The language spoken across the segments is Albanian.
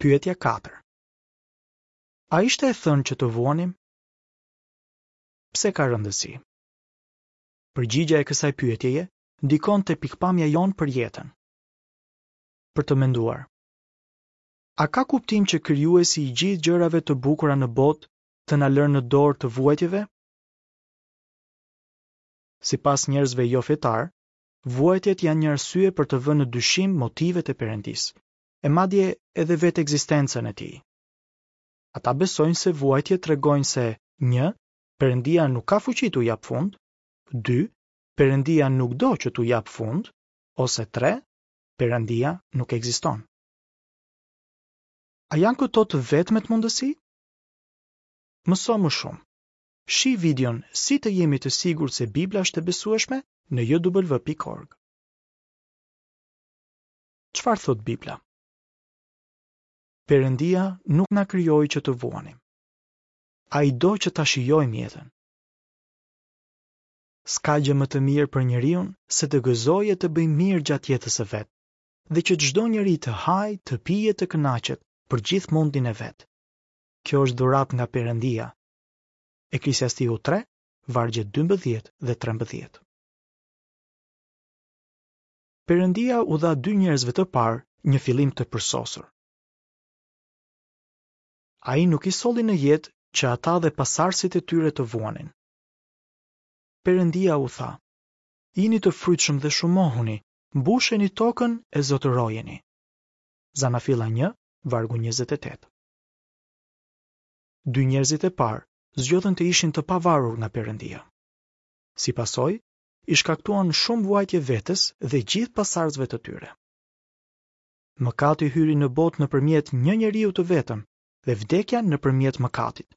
Pyetja 4. A ishte e thënë që të vuanim? Pse ka rëndësi? Përgjigja e kësaj pyetjeje ndikon te pikëpamja jonë për jetën. Për të menduar. A ka kuptim që krijuesi i gjithë gjërave të bukura në botë të na lërë në dorë të vuajtjeve? Sipas njerëzve jofetarë, vuajtjet janë një arsye për të vënë në dyshim motivet e Perëndisë, e madje edhe vetë ekzistencën e tij. Ata besojnë se vuajtjet tregojnë se, një, Perëndia nuk ka fuqi t'u japë fund, dy, Perëndia nuk do që t'u japë fund, ose tre, Perëndia nuk ekziston. A janë këto të vetmet mundësi? Mëso më shumë. Shih videon Si të jemi të sigurt se Bibla është e besueshme në jw.org. Çfarë thotë Bibla? Perëndia nuk na krijoi që të vuanim. Ai do që ta shijojmë jetën. S'ka gjë më të mirë për njeriun se të gëzojë e të bëjë mirë gjatë jetës së vet, dhe që çdo njeri të hajë, të pijë e të kënaqet për gjithë mundin e vet. Kjo është dhuratë nga Perëndia. Eklesiastiku 3, vargjet 12 dhe 13. Perëndia u dha dy njerëzve të parë një fillim të përsosur. Ai nuk i solli në jetë që ata dhe pasardhësit e tyre të vuanin. Perëndia u tha: Jini të frytshëm dhe shumohuni, mbusheni tokën e zotërojeni. Zanafilla 1, vargu 28. Dy njerëzit e parë zgjodhën të ishin të pavarur nga Perëndia. Si pasojë, i shkaktuan shumë vuajtje vetes dhe gjithë pasardhësve të tyre. Mëkati hyri në botë nëpërmjet një njeriu të vetëm dhe vdekja nëpërmjet mëkatit.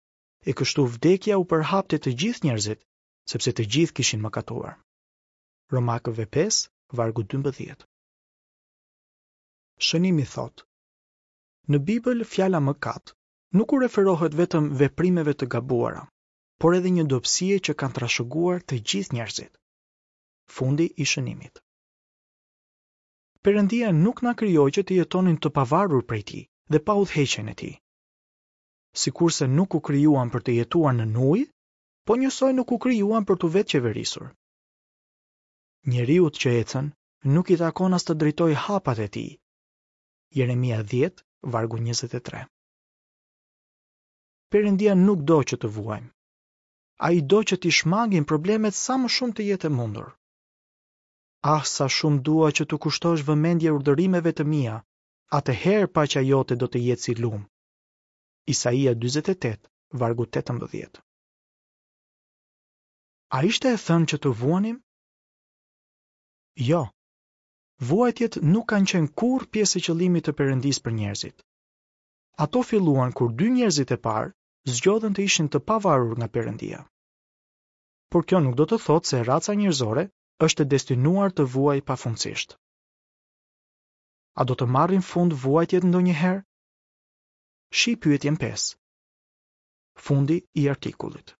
E kështu vdekja u përhap te të gjithë njerëzit, sepse të gjithë kishin mëkatuar. Romakëve 5, vargu 12. Shënimi thotë: Në Bibël fjala mëkat nuk u referohet vetëm veprimeve të gabuara, por edhe një dobësie që kanë trashëguar të gjithë njerëzit. Fundi i shënimit. Perëndia nuk na krijoi që të jetonim të pavarur prej tij dhe pa udhëheqjen e tij. Sikurse nuk u krijuam për të jetuar nën ujë, po njësoj nuk u krijuam për t'u vetëqeverisur. Njeriut që ecën nuk i takon as të drejtojë hapat e tij. Jeremia 10, vargu 23. Perëndia nuk do që të vuajmë. Ai do që t'i shmangim problemet sa më shumë të jetë e mundur. Ah, sa shumë dua që t'u kushtosh vëmendje urdhërimeve të mia, atëherë paqja jote do të jetë si lumë. Isaia 48, vargu 18. A ishte e thënë që të vuanim? Jo. Vuajtjet nuk kanë qenë kurrë pjesë e qëllimit të Perëndisë për njerëzit. Ato filluan kur dy njerëzit e parë zgjodhën të ishin të pavarur nga Perëndia. Por kjo nuk do të thotë se raca njerëzore është e destinuar të vuajë pafundësisht. A do të marrin fund vuajtjet ndonjëherë? Shih pyetjen 5. Fundi i artikullit.